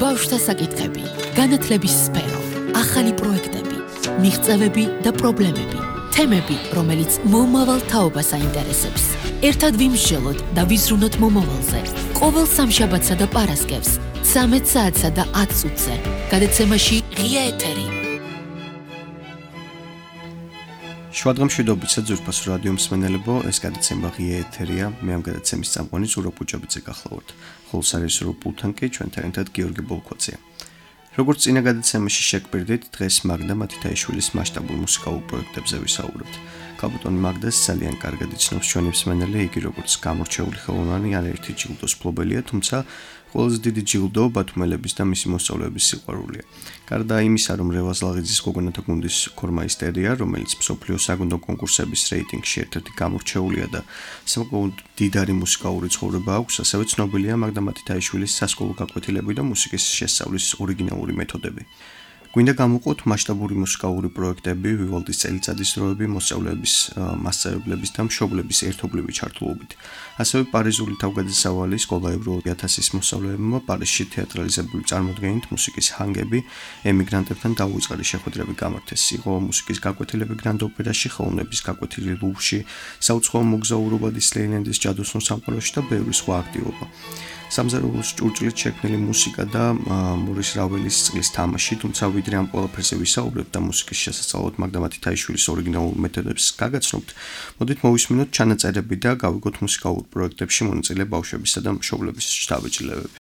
ბავშვთა საკითხები, განათლების სფერო, ახალი პროექტები, მიღწევები და პრობლემები, თემები, რომელიც მომავალ თაობას აინტერესებს. ერთად ვიმსჯელოთ და ვიზრუნოთ მომავალზე. ყოველ სამშაბათსა და პარასკევს, 13 საათსა და 10 წუთზე. გადაცემაში ღია ეთერი. შვადღამშვიდობიცა ძვირფასო რადიო მსმენელებო, ეს გადაცემა ღია ეთერია. მე ამ გადაცემის წამყვანი ზურაბ პუჭაბიძე გახლავართ. ხოლო სარეჟისორო პულტთან კი ჩვენთან ერთად გიორგი ბოლქვაძეა. როგორც წინა გადაცემაში შეგბირდით, დღეს მაგდა მათითაიშვილის მასშტაბურ მუსიკალურ პროექტებზე ვისაუბრებთ. კაპიტანი მაგდას ძალიან კარგად იცნობს ჩვენი მსმენელი, იგი როგორც გამორჩეული ხელოვანი არაერთი ჯილდოს მფლობელია, თუმცა ყველაზე დიდი ჯილდო ბათუმელების და მისი მოსწავლეების სიყვარულია. გარდა იმისა, რომ რევაზ ლაღიძის გოგონათა გუნდის ქორმაისტერია, რომელიც მსოფლიო საგუნდო კონკურსების რეიტინგში ერთ-ერთი გამორჩეულია და საკმაოდ დიდარი მუსიკალური ცხოვრება აქვს, ასევე ცნობილია მაგდა მათითაიშვილის სასკოლო გაკვეთილები და მუსიკის შესწავლის ორიგინალური მეთოდები. გვინდა გამოვყოთ მასშტაბური მუსიკალური პროექტები, ვივალდის წელიწადის დროები, მოსწავლეების, მასწავლებლების და მშობლების ერთობლივი ჩართულობით. ასევე პარიზული თავგადასავალი სკოლა ევროპა 1000-ის მოსწავლეებმა პარიზში თეატრალიზებული წარმოდგენით მუსიკის ჰანგები ემიგრანტებთან დაუწყარი შეხვედრები გამართეს. იყო მუსიკის გაკვეთილები გრანდ ოპერაში, ხელოვნების გაკვეთილი ლუვრში, საუცხოო მოგზაურობა დისლეილენდის ჯადოსნურ სამყაროში და ბევრი სხვა აქტივობა. სამზარეულოს ჭურჭლით შექმნილი მუსიკა და მურის რაველის წყლის თამაში, თუმცა ვიდრე ამ ყველაფერზე ვისაუბრებთ და მუსიკის შესასწავლად მაგდა მათითაიშვილის ორიგინალურ მეთოდებს გაგაცნობთ, მოდით მოვისმინოთ ჩანაწერები და გავიგოთ მუსიკალურ პროექტებში მონაწილე ბავშვებისა და მშობლების შთაბეჭდილებები.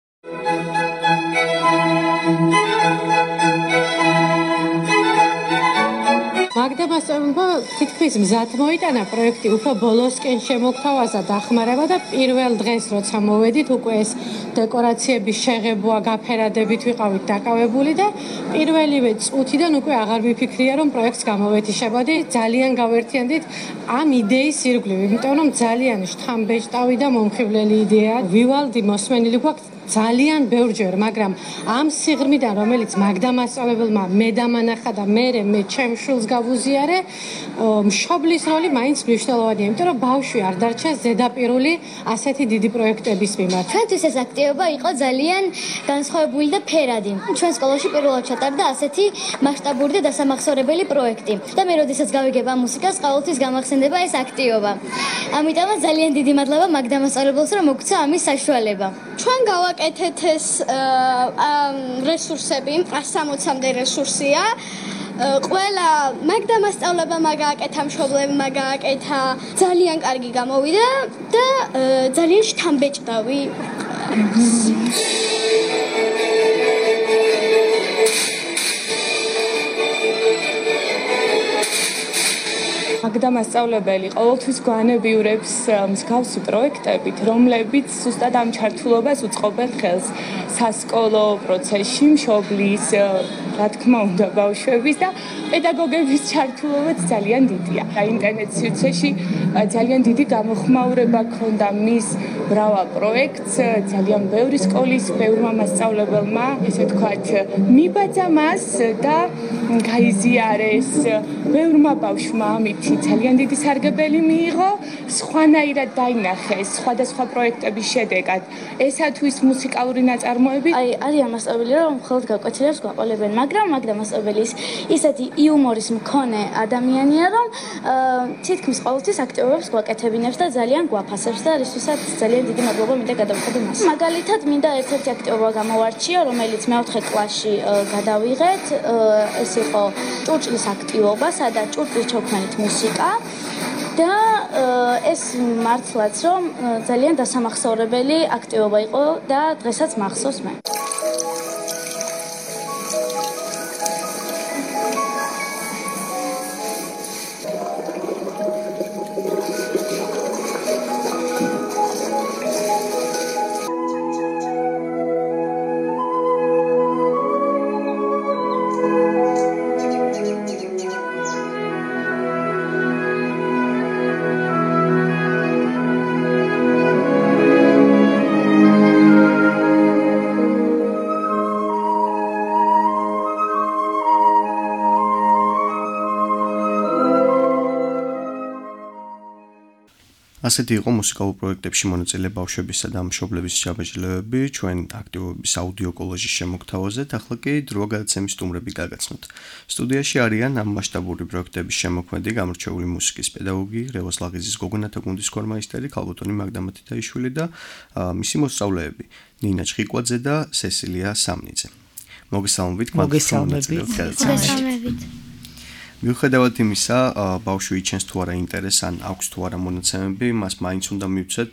მაგდა მასწავლებელმა თითქმის მზად მოიტანა პროექტი, უფრო ბოლოსკენ შემოგთავაზა დახმარება და პირველ დღეს როცა მოვედით, უკვე ეს დეკორაციების შეღებვა, გაფერადებით ვიყავით დაკავებული და პირველივე წუთიდან უკვე აღარ ვიფიქრია, რომ პროექტს გამოვეთიშებოდი. ძალიან გავერთიანდით ამ იდეის ირგვლივ, იმიტომ რომ ძალიან შთამბეჭდავი და მომხიბვლელი იდეაა. ვივალდი მოსმენილი გვაქვს ძალიან ბევრჯერ, მაგრამ ამ სიღრმიდან, რომელიც მაგდა მასწავლებელმა მე დამანახა და მე ჩემ შვილს გავუზიარე, მშობლის როლი მაინც მნიშვნელოვანია, იმიტომ რომ ბავშვი არ დარჩა ზედაპირული ასეთი დიდი პროექტების მიმართ. ჩვენთვის ეს აქტივობა იყო ძალიან განსხვავებული და ფერადი. ჩვენ სკოლაში პირველად ჩატარდა ასეთი მასშტაბური და დასამახსოვრებელი პროექტი. და მე როდესაც გავიგებ ამ მუსიკას, ყოველთვის გამახსენდება ეს აქტივობა. ამიტომაც ძალიან დიდი მადლობა მაგდა მასწავლებელს, რომ მოგცა ამის საშუალება. ჩვენ გავაკეთეთ ეს რესურსები, 160-მდე რესურსია. ყველა მაგდა მასწავლებელმა გააკეთა, მშობლებმა გააკეთა, ძალიან კარგი გამოვიდა და ძალიან შთამბეჭდავი. მაგდა მასწავლებელი ყოველთვის გვანებიურებს მსგავსი პროექტებით, რომლებიც ზუსტად ამ ჩართულობას უწყობენ ხელს სასკოლო პროცესში, მშობლის, რა თქმა უნდა, ბავშვების და პედაგოგების ჩართულობაც ძალიან დიდია. ინტერნეტ სივრცეში ძალიან დიდი გამოხმაურება ჰქონდა მის მრავალ პროექტს, ძალიან ბევრი სკოლის, ბევრმა მასწავლებელმა, ესე ვთქვათ, მიბაძა მას და გაიზიარეს. ბევრმა ბავშვმა ამით ძალიან დიდი სარგებელი მიიღო, სხვანაირად დაინახეს სხვადასხვა პროექტების შედეგად. ესათვის მუსიკალური ნაწარმოები. არიან მასწავლებელი, რომ მხოლოდ გაკვეთილებს გვაყოლებენ, მაგრამ მაგდა მასწავლებლის ისეთი იუმორის მქონე ადამიანია, რომ თითქმის ყოველთვის აქტივობებს გვაკეთებინებს და ძალიან გვაფასებს და რისთვისაც ძალიან დიდი მადლობა მინდა გადავხადო მას. მაგალითად, მინდა ერთ-ერთი აქტივობა გამოვარჩიო, რომელიც მე-4 კლასში გადავიღეთ. ეს იყო ჭურჭლის აქტივობა, სადაც ჭურჭლის ჩაუქმნით მუსიკა და ეს მართლაც რომ ძალიან დასამახსოვრებელი აქტივობა იყო და დღესაც მახსოვს მე. ასეთი იყო მუსიკალურ პროექტებში მონაწილე ბავშვებისა და მშობლების ჯაბაჯილებები ჩვენ აქტივობის აუდიო კოლაჟის შემოგთავაზეთ, ახლა კი დროა გადაცემის სტუმრები გაგაცნოთ. სტუდიაში არიან ამ მასშტაბური პროექტების შემოქმედი გამორჩეული მუსიკის პედაგოგი, რევაზ ლაღიძის გოგონათა გუნდის ქორმაისტერი ქალბატონი მაგდა მათიტაიშვილი და მისი მოსწავლეები ნინა ჩხიკვაძე და სესილია სამნიძე. მოგესალმებით, მოგესალმებით. მიუხედავად იმისა, ბავშვი იჩენს თუ არა ინტერესს ან აქვს თუ არა მონაცემები, მას მაინც უნდა მივცეთ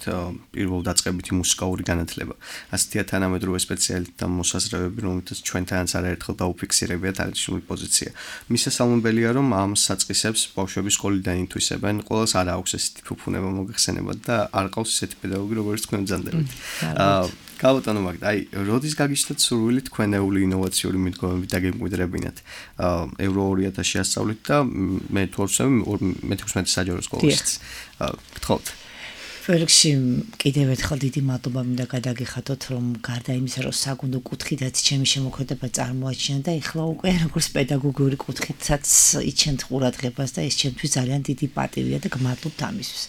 პირველ დაწყებითი მუსიკალური განათლება. ასეთია თანამედროვე სპეციალისტთა მოსაზრებები, რომელთაც ჩვენთანაც არაერთხელ დაუფიქსირებიათ აღნიშნული პოზიცია. მისასალმებელია, რომ ამ საწყისებს ბავშვები სკოლიდან ითვისებენ, ყოველს არ აქვს ესეთი ფუფუნება მოგეხსენებათ და არ ყავს ესეთი პედაგოგი, როგორც თქვენ ბრძანდებით. ქალბატონო მაგდა, როდის გაგიჩნდათ სურვილი თქვენეული ინოვაციური მიდგომები დაგემკვიდრებინათ ევრო 2000 ასწავლით და მე თორსემ მე-16 საჯარო სკოლაშიც. გთხოვთ. Ֆერქსი კიდევ ერთხელ დიდი მადლობა მინდა გადაგიხადოთ, რომ გარდა იმისა, რომ საგუნდო კუთხითაც ჩემი შემოქმედება წარმოაჩინა და ეხლა უკვე როგორც პედაგოგიური კუთხითაც იჩენთ ყურადღებას და ეს ჩემთვის ძალიან დიდი პატივია და გმადლობთ ამისთვის.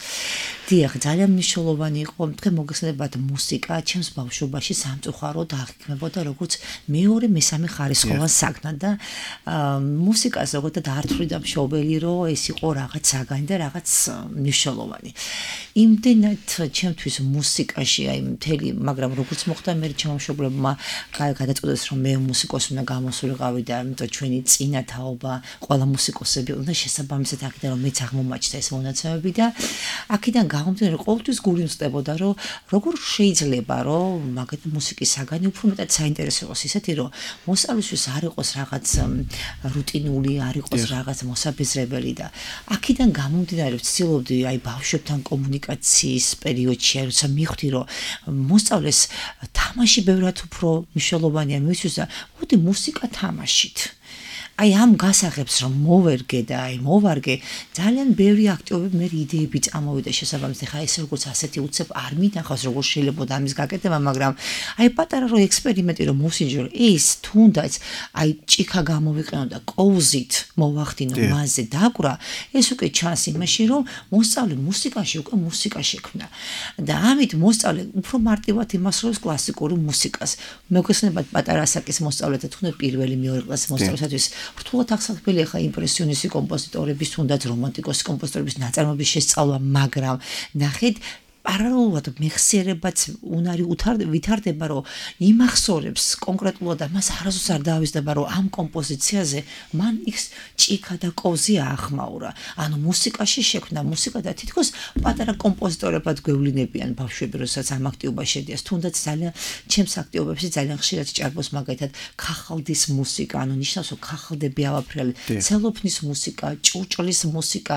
დიახ, ძალიან მნიშვნელოვანი იყო, თქვენ მოგეხსენებათ მუსიკა ჩემს ბავშვობაში სამწუხაროდ აღიქმებოდა როგორც მეორე მესამე ხარისხოვან საგნად და მუსიკას ზოგადად არ თვლიდა მშობელი, რომ ეს იყო რაღაც საგანი და რაღაც მნიშვნელოვანი. იმდენად ჩემთვის მუსიკაში აი მთელი, მაგრამ როგორც მოხდა მე ჩემო მშობლებმა გადაწყვეტეს რომ მე მუსიკოსი უნდა გამოსულიყავი და ამიტომ ჩვენი წინა თაობა ყველა მუსიკოსები უნდა შესაბამისად აქედან რომ მეც აღმომაჩნდა ეს მონაცემები და აქედან გამომდინარე ყოველთვის გული მწდებოდა რომ როგორ შეიძლება რომ მაგათ მუსიკის საგანი უფრო მეტად საინტერესოს ისეთი რომ მოსწავლისთვის არ იყოს რაღაც რუტინული, არ იყოს რაღაც მოსაბეზრებელი და აქედან გამომდინარე ვცდილობდი აი ბავშვებთან კომუნიკაციის პერიოდში როცა მივხვდი რომ მოსწავლეს თამაში ბევრად უფრო მნიშვნელოვანია მისთვის და მოდი მუსიკა თამაშით. აი ამ გასაღებს რომ მოვერგე და აი მოვარგე ძალიან ბევრი აქტივობები მე იდეები წამოვიდა შესაბამისად ხა ეს როგორც ასეთი უცებ არ მინახავს როგორ შეიძლება ამის გაკეთება მაგრამ აი პატარა რო ექსპერიმენტი რომ მოსინჯო ის თუნდაც აი ჭიქა გამოვიყენო და კოვზით მოვახდინო მასზე დაკვრა ეს უკვე ჩანს იმაში რომ მოსწავლე მუსიკაში უკვე მუსიკა შექმნა და ამით მოსწავლე უფრო მარტივად იმასროლებს კლასიკური მუსიკას მოგესალმებით პატარა ასაკის მოსწავლეთა თუნდაც პირველი მეორე კლასის მოსწავლეებისთვის რთულად აღსაქმელი ხა იმპრესიონისტი კომპოზიტორების თუნდაც რომანტიკოსი კომპოზიტორების ნაწარმოების შესწავლა, მაგრამ ნახეთ პარალელურად მეხსიერებაც უნარი ვითარდება, რომ იმახსოვრებს კონკრეტულად და მას არასდროს არ დაავიზდება, რომ ამ კომპოზიციაზე მან იქ ჭიქა და კოვზია ახმაურა. ანუ მუსიკაში შექმნა მუსიკა და თითქოს პატარა კომპოზიტორებად გვევლინებიან ბავშვები, როდესაც ამ აქტივობაში შედიას. თუნდაც ძალიან ჩემს აქტივობებში ძალიან ხშირად ჭარბობს მაგალითად ქახალდის მუსიკა, ანუ ნიშნავს, რომ ქახალდები ავაფრიალე, ცელოფნის მუსიკა, ჭურჭლის მუსიკა,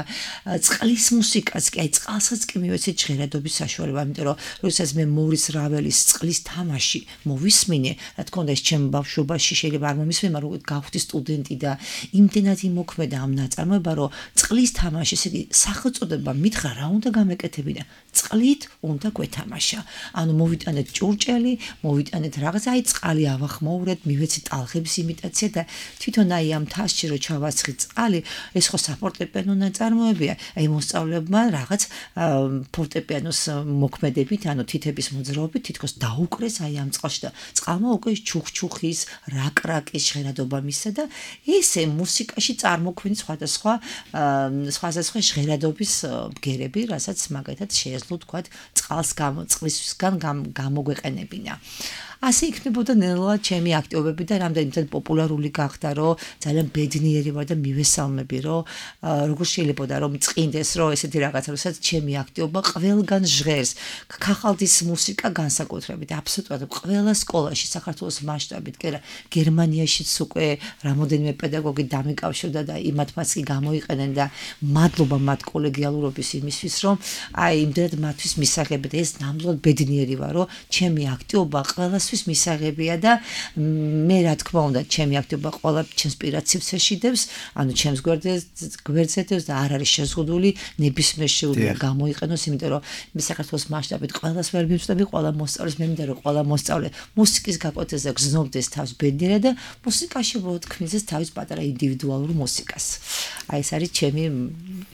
წყლის მუსიკაც, კი აი წყალსაც კი მივეცეთ ჟღერადობის საშუალება, იმიტომ რომ როდესაც მე მორის რაველის წყლის თამაში მოვისმინე, რა თქმა უნდა ეს ჩემ ბავშვობაში შეიძლება არ მომისმენ, მაგრამ გავხდი სტუდენტი და იმდენად იმოქმედა ამ ნაწარმოება, რომ წყლის თამაში, ესე იგი სახელწოდება მითხრა რა უნდა გამეკეთებინა. წყლით უნდა გვეთამაშა. ანუ მოვიტანეთ ჭურჭელი, მოვიტანეთ რაღაც აი წყალი ავახმოვრეთ, მივეცი ტალღების იმიტაცია და თვითონ აი ამ თასში რო ჩავასხი წყალი, ეს ხო საფორტეპიანო ნაწარმოებია. აი მოსწავლეებმა რაღაც ფორტეპიანოს მოქმედებით, ანუ თითების მოძრაობით თითქოს დაუკრეს აი ამ წყალში და წყალმა უკვე ჩუხჩუხის, რაკრაკის ჟღერადობა მისცა და ესე მუსიკაში წარმოქმნის სხვადასხვა ჟღერადობის ბგერები, რასაც მაგალითად შეეძლო თქვა წყლისგან გამოგვეყენებინა. ასე იქნებოდა ნელა ჩემი აქტივობები და რამდენიმე პოპულარული გახდა, რომ ძალიან ბედნიერი ვარ და მივესალმები, რომ როგორ შეიძლება და რომ წინდეს, რომ ესეთი რაღაცა, როდესაც ჩემი აქტივობა ყველგან ჟღერს. ქახალდის მუსიკა განსაკუთრებით, აბსოლუტურად ყველა სკოლაში საქართველოს მასშტაბით, გერმანიაშიც უკვე რამოდენიმე პედაგოგი დამიკავშირდა და იმათმაც კი გამოიყენენ და მადლობა მათ კოლეგიალურობის იმისთვის, რომ აი იმდენად მათთვის მისაღები და ეს ნამდვილად ბედნიერი ვარ, რომ ჩემი აქტივობა ყველას მისაღებია და მე რა თქმა უნდა ჩემი აქტივობა ყველა ჩემს პირად სივრცეში დევს, ანუ ჩემს გვერდზე დევს და არ არის შეზღუდული ნებისმიერ შეუძლია გამოიყენოს, იმიტომ რომ მე საქართველოს მასშტაბით ყველას ვერ მივწდები, ყველა მოსწავლეს მე მინდა რომ ყველა მოსწავლე მუსიკის გაკვეთაზე გრძნობდეს თავს ბედნიერად და მუსიკაში მოთქმიდეს თავის პატარა ინდივიდუალურ მუსიკას. აი ეს არის ჩემი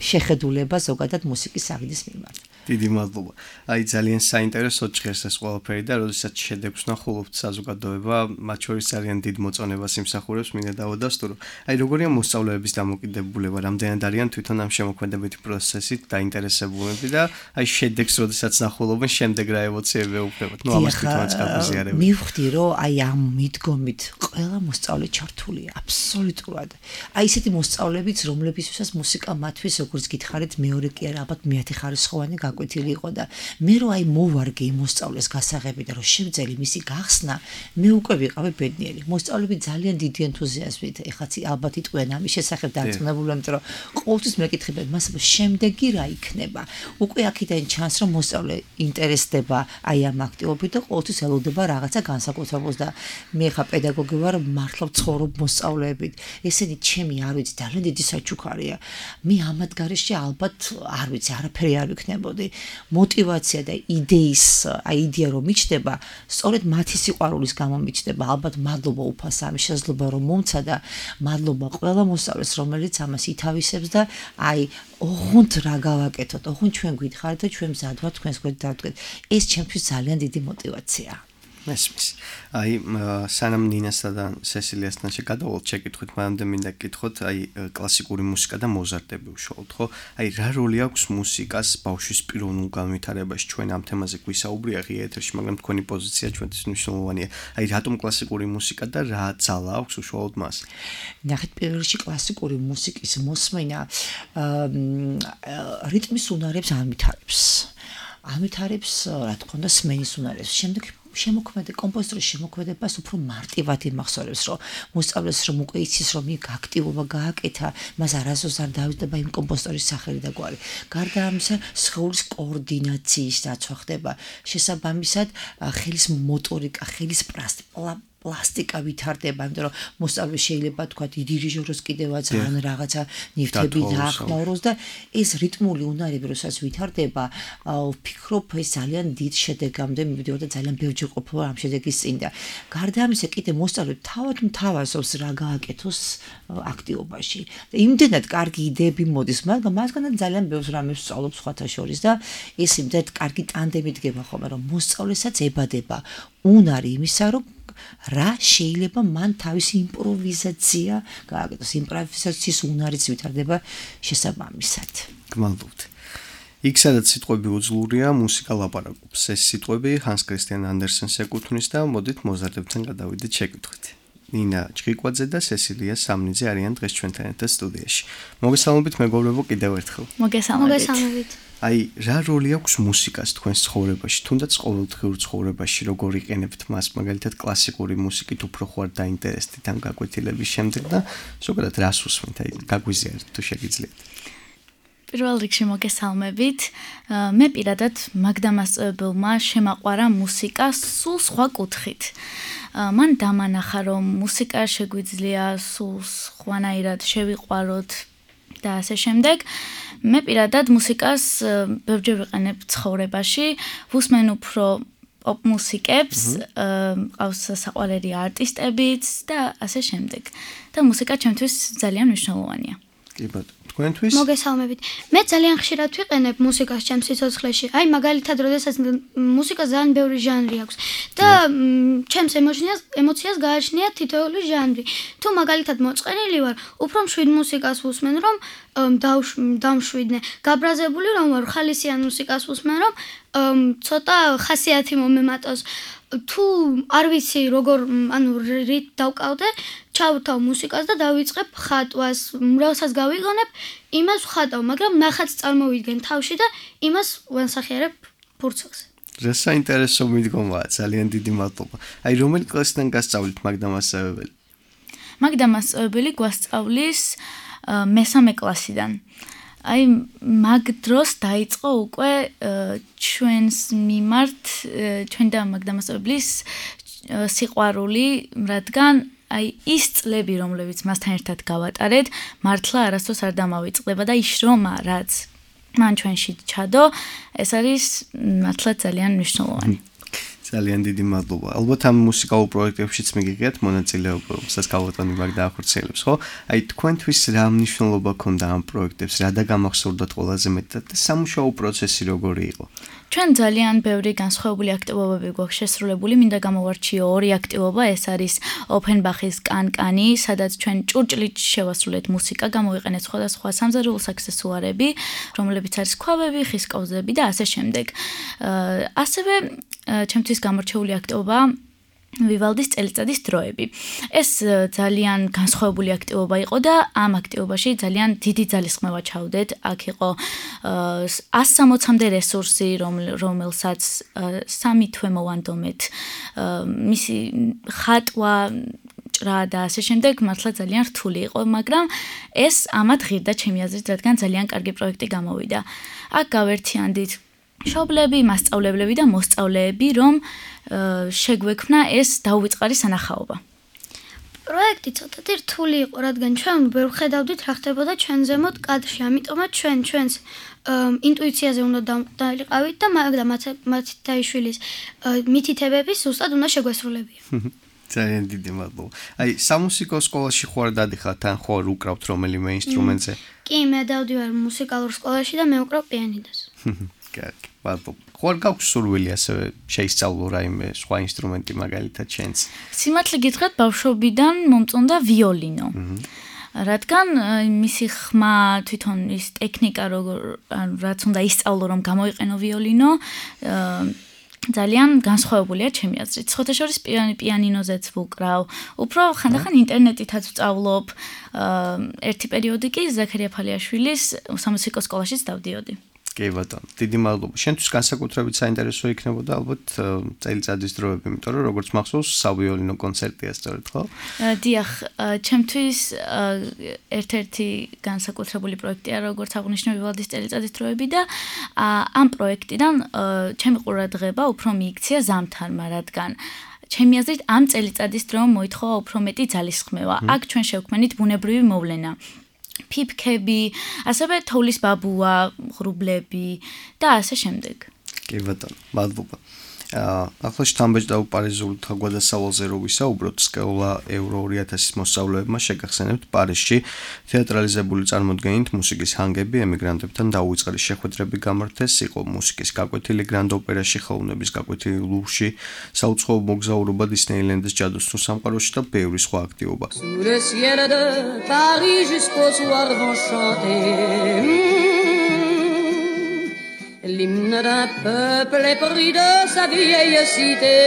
შეხედულება ზოგადად მუსიკის აღიდის მიმართ. დიდი მადლობა. აი ძალიან საინტერესო ჭირს ეს ყველაფერი და როდესაც შედეგს ვნახულობთ საზოგადოება, მათ შორის ძალიან დიდ მოწონებას იმსახურებს, მინდა დავადასტურო. აი როგორია მოსწავლეების დამოკიდებულება, რამდენად არიან თვითონ ამ შემოქმედებითი პროცესით დაინტერესებულები და აი შედეგს როდესაც ნახულობენ, შემდეგ რა ემოციები ეუფლებათ. ნუ ამას თვითონაც გაგვიზიარებთ. მივხვდი, რომ აი ამ მიდგომით ყველა მოსწავლე ჩართულია, აბსოლუტურად. აი ესეთი მოსწავლეებიც, რომლებისთვისაც მუსიკა მათთვის როგორც გითხარით, მეორე კი არა, ალბათ მეათე ხარისხოვანი გაკვეთილი იყო და მე რო აი მოვარგე იმ მოსწავლეს გასაღები და რო შევძელი მისი გახსნა, მე უკვე ვიყავი ბედნიერი. მოსწავლეები ძალიან დიდი ენთუზიაზმით, ეხლა ალბათ იტყვიან ამის შესახებ დარწმუნებული, იმიტომ რომ ყოველთვის მეკითხებენ, მას შემდეგი რა იქნება. უკვე აქედან ჩანს, რომ მოსწავლე ინტერესდება აი ამ აქტივობით და ყოველთვის ელოდება რაღაცა განსაკუთრებულს და მე ხა პედაგოგი ვარ, მართლა ვცხოვრობ მოსწავლეებით. ესენი ჩემი არ ვიცი, ძალიან დიდი საჩუქარია. მე ამათ გარეშე ალბათ არ ვიცი, არაფერი არ ვიქნებოდი. мотивация და იდეის, აი იდეა რომ მიჩნდება, სწორედ მათი სიყვარულის გამო მიჩნდება. ალბათ მადლობა უფალს ამის შესაძლებლობა რომ მომცა და მადლობა ყველა მოსწავლეს, რომელიც ამას ითავისებს და აი ოღონდ რა გავაკეთოთ, ოღონდ ჩვენ გვითხარით და ჩვენ მზად ვართ თქვენს გვერდით დავდგეთ. ეს ჩემთვის ძალიან დიდი мотивациაა. მესმის. აი სანამ ნინასთან და სესილიასთან შეგადავალთ შეკითხვით, მანამდე მინდა გკითხოთ, აი კლასიკური მუსიკა და მოზარდები უშუალოდ, ხო? აი რა როლი აქვს მუსიკას ბავშვის პიროვნულ განვითარებაში? ჩვენ ამ თემაზე გვისაუბრია ღია ეთერში, მაგრამ თქვენი პოზიცია ჩვენთვის მნიშვნელოვანია. აი რატომ კლასიკური მუსიკა და რა ძალა აქვს უშუალოდ მას? ნახეთ, პირველ რიგში კლასიკური მუსიკის მოსმენა რიტმის უნარებს ამითარებს. ამითარებს, რა თქმა უნდა, სმენის უნარებს. შემდეგ კომპოზიტორის შემოქმედებას უფრო მარტივად იმახსოვრებს, რომ მოსწავლეს რომ უკვე იცის, რომ იქ აქტივობა გააკეთა, მას არასდროს არ დავიწყდება იმ კომპოზიტორის სახელი და გვარი. გარდა ამისა, სხეულის კოორდინაციის დაცვა ხდება. შესაბამისად, ხელის მოტორიკა, ხელის პლასტიკა ვითარდება, იმიტომ რომ მოსწავლე შეიძლება თქვა დირიჟოროს კიდევაც ან რაღაცა ნივთები დაახმაუროს და ეს რიტმული უნარები როდესაც ვითარდება, ვფიქრობ ეს ძალიან დიდ შედეგამდე მივიდეო და ძალიან ბევრჯერ ყოფილა ამ შედეგის წინ და გარდა ამისა კიდე მოსწავლე თავად მთავაზობს რა გააკეთოს აქტივობაში. და იმდენად კარგი იდეები მოდის, მაგრამ მასგანაც ძალიან ბევრ რამეს სწავლობს სხვათა შორის და ეს იმდენად კარგი ტანდემი დგება ხოლმე, რომ მოსწავლესაც ებადება უნარი იმისა, რომ რა შეიძლება მან თავისი იმპროვიზაცია გააკეთოს, იმპროვიზაციის უნარიც ვითარდება შესაბამისად. გმადლობთ. იქ სადაც სიტყვები უძლურია, მუსიკა ლაპარაკობს. ეს სიტყვები ჰანს კრისტიან ანდერსენს ეკუთვნის და მოდით მოზარდებთან გადავიდეთ შეკითხვით. ნინა ჭრიკვაძე და სესილია სამნიძე არიან დღეს ჩვენთან ერთად სტუდიაში. მოგესალმებით მეგობრებო კიდევ ერთხელ. მოგესალმებით. აი რა როლი აქვს მუსიკას თქვენს ცხოვრებაში, თუნდაც ყოველდღიურ ცხოვრებაში, როგორ იყენებთ მას, მაგალითად კლასიკური მუსიკით უფრო ხوار დაინტერესდით ამ გაკვეთილების შემდეგ და ზოგადად რას უსმენთ, აი გაგვიზიარეთ თუ შეგიძლიათ. პირველ რიგში მოგესალმებით. მე პირადად მაგდამასწავლებელმა შემაყვარა მუსიკა სულ სხვა კუთხით. მან დამანახა, რომ მუსიკა შეგვიძლია სულ სხვანაირად შევიყვაროთ და ასე შემდეგ. მე პირადად მუსიკას ბევრჯერ ვიყენებ ცხოვრებაში, ვუსმენ უფრო პოპ მუსიკებს, ყავს საყვარელი არტისტებიც და ასე შემდეგ. და მუსიკა ჩემთვის ძალიან მნიშვნელოვანია. კი ბატონო, თქვენთვის? მოგესალმებით. მე ძალიან ხშირად ვიყენებ მუსიკას ჩემს სიცოცხლეში. აი მაგალითად, როდესაც მუსიკას ძალიან ბევრი ჟანრი აქვს და ჩემს ემოციას გააჩნია თითოეული ჟანრი. თუ მაგალითად მოწყენილი ვარ, უფრო მშვიდ მუსიკას ვუსმენ, რომ დამშვიდნე. გაბრაზებული რომ ვარ, ხალისიან მუსიკას ვუსმენ, რომ ცოტა ხასიათი მომემატოს. თუ არ ვიცი როგორ რით დავკავდე, ჩავთავ მუსიკას და დავიწყებ ხატვას, რასაც გავიგონებ, იმას ვხატავ, მაგრამ ნახატს წარმოვიდგენ თავში და იმას ვანსახიერებ ფურცელზე. რა საინტერესო მიდგომაა, ძალიან დიდი მადლობა. აი რომელი კლასიდან გასწავლით მაგდამასწავლებელი? მაგდამასწავლებელი გვასწავლის მესამე კლასიდან. აი მაგ დროს დაიწყო უკვე ჩვენს მიმართ ჩვენ და მაგდამასწავლებლის სიყვარული, რადგან აი ის წლები, რომლებიც მასთან ერთად გავატარეთ, მართლა არასდროს არ დამავიწყდება და ის შრომა, რაც მან ჩვენში ჩადო, ეს არის მართლა ძალიან მნიშვნელოვანი. ძალიან დიდი მადლობა. ალბათ ამ მუსიკალურ პროექტებშიც მიგიღეთ მონაწილეობა, სადაც გავატონი მაგ დაახორციელებს, ხო? აი თქვენთვის რა მნიშვნელობა ქონდა ამ პროექტებს, რა და გამახსოვრდათ ყველაზე მეტად და სამუშაო პროცესი როგორი იყო? ჩვენ ძალიან ბევრი განსხვავებული აქტივობები გვაქვს შესრულებული, მინდა გამოვარჩიო ორი აქტივობა, ეს არის ოფენბახის კანკანი, სადაც ჩვენ ჭურჭლით შევასრულეთ მუსიკა, გამოვიყენეთ სხვადასხვა სამზარეულო საქსესუარები, რომლებიც არის ქვაბები, ხის კოვზები და ასე შემდეგ. ასევე ჩემთვის გამორჩეული აქტივობა ვივალდის წელიწადის დროები. ეს ძალიან განსხვავებული აქტივობა იყო და ამ აქტივობაში ძალიან დიდი ძალისხმევა ჩავდეთ. აქ იყო 160-მდე რესურსი, რომელსაც 3 თვე მოვანდომეთ. მისი ხატვა ჭრა და ასე შემდეგ მართლა ძალიან რთული იყო, მაგრამ ეს ამათ ღირდა ჩემი აზრით, რადგან ძალიან კარგი პროექტი გამოვიდა. აქ გავერთიანდით მშობლები, მასწავლებლები და მოსწავლეები, რომ შეგვექმნა ეს დაუვიწყარი სანახაობა. პროექტი ცოტათი რთული იყო, რადგან ჩვენ ვერ ხედავდით რა ხდებოდა ჩვენ ზემოთ კადრში, ამიტომაც ჩვენს ინტუიციაზე უნდა დავყავით და მაგრამ მათითაიშვილის მითითებები ზუსტად უნდა შეგვესრულებია. ძალიან დიდი მადლობა. აი, სამუსიკო სკოლაში ხوار დადიხართ, ან ხوار უკრავთ რომელიმე ინსტრუმენტზე? კი, მე დავდივარ მუსიკალურ სკოლაში და მე უკრავ პიანინოს. კარგი, მადლობა. ხوار გაქვს სურვილი ასევე შეისწავლო რაიმე სხვა ინსტრუმენტი მაგალითად შენს? სიმართლე გითხრათ, ბავშვობიდან მომწონდა ვიოლინო. რადგან მისი ხმა თვითონ ის ტექნიკა რაც უნდა ისწავლო რომ გამოიყენო ვიოლინო ძალიან განსხვავებულია ჩემი აზრით. ხოთაშორის პიანინოზეც ვუკრავ. უფრო ხანდახან ინტერნეტითაც ვწავლობ. ერთი პერიოდი კი ზაქარია ფალიაშვილის სამუსიკო სკოლაშიც დავდიოდი. კი ბატონო, დიდი მადლობა. შენთვის განსაკუთრებით საინტერესო იქნებოდა ალბათ წელიწადის დროები, იმიტომ რომ როგორც მახსოვს, სავიოლინო კონცერტია სწორედ, ხო? დიახ, ჩემთვის ერთ-ერთი განსაკუთრებული პროექტია, როგორც აღნიშნე ვივალდის წელიწადის დროები და ამ პროექტიდან ჩემი ყურადღება უფრო მიიქცია ზამთარმა, რადგან ჩემი აზრით ამ წელიწადის დრომ მოითხოვა უფრო მეტი ძალისხმევა. აქ ჩვენ შევქმნით ბუნებრივი მოვლენა. ფიფქები, ასევე თოვლის ბაბუა, ღრუბლები და ასე შემდეგ. კი ბატონო, მადლობა. ახლა შთამბეჭდავ პარიზულ თავგვადასავალზე რო ვისაუბროთ, სკოლა ევრო 2000-ის მოსწავლეებმა შეგახსენებთ პარიზში თეატრალიზებული წარმოდგენით მუსიკის ჰანგები ემიგრანტებთან დაუვიწყარი შეხვედრები გამართეს, იყო მუსიკის გაკვეთილი გრანდ ოპერაში, ხელოვნების გაკვეთილი ლუვრში, საუცხოო მოგზაურობა დისნეილენდის ჯადოსნურ სამყაროში და ბევრი სხვა აქტივობა. L'hymne d'un peuple épris de sa vieille cité,